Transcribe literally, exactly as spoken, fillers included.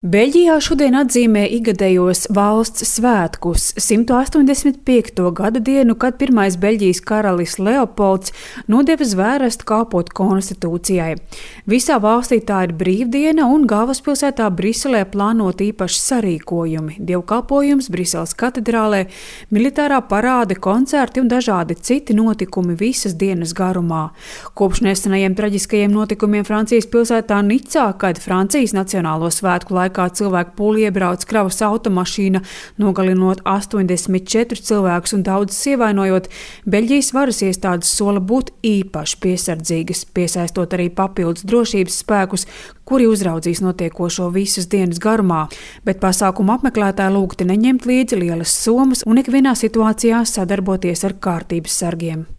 Beļģijā šodien atzīmē ikgadējos valsts svētkus – simt astoņdesmit piekto gada dienu, kad pirmais Beļģijas karalis Leopolds nodeva zvērestu kalpot konstitūcijai. Visā valstī tā ir brīvdiena un galvaspilsētā Briselē plānot īpaši sarīkojumi – dievkalpojums Briseles katedrālē, militārā parāde, koncerti un dažādi citi notikumi visas dienas garumā. Kopš nesenajiem traģiskajiem notikumiem Francijas pilsētā Nicā, kad Francijas nacionālo svētku laikā kā cilvēku pūli iebrauc kravas automašīna, nogalinot astoņdesmit četrus cilvēkus un daudzus ievainojot, Beļģijas varas iestādes sola būt īpaši piesardzīgas, piesaistot arī papildus drošības spēkus, kuri uzraudzīs notiekošo visas dienas garumā, bet pasākumu apmeklētāji lūgti neņemt līdzi lielas summas un ikvienā situācijā sadarboties ar kārtības sargiem.